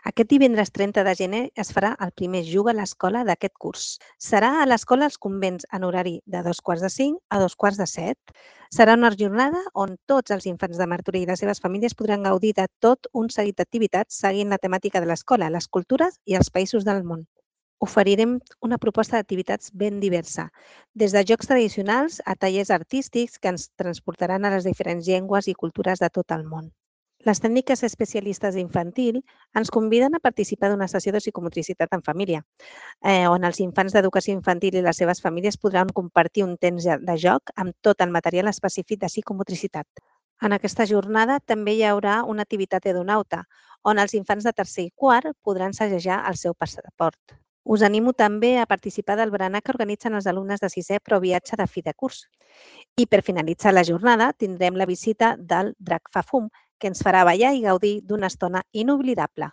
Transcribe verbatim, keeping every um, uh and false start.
Aquest divendres trenta de gener es farà el primer Juga a l'Escola d'aquest curs. Serà a l'Escola Els Convents en horari de dos quarts de cinc a dos quarts de set. Serà una jornada on tots els infants de Martorell i les seves famílies podran gaudir de tot un seguit d'activitats seguint la temàtica de l'escola, les cultures i els països del món. Oferirem una proposta d'activitats ben diversa, des de jocs tradicionals a tallers artístics que ens transportaran a les diferents llengües i cultures de tot el món. Les tècniques especialistes d'infantil ens conviden a participar d'una sessió de psicomotricitat en família, eh, on els infants d'educació infantil i les seves famílies podran compartir un temps de joc amb tot el material específic de psicomotricitat. En aquesta jornada també hi haurà una activitat edonauta, on els infants de tercer i quart podran segellar el seu passaport. Us animo també a participar del berenar que organitzen els alumnes de sisè Pro Viatge de fi de curs. I per finalitzar la jornada tindrem la visita del Drac fa fum, que ens farà ballar i gaudir d'una estona inoblidable.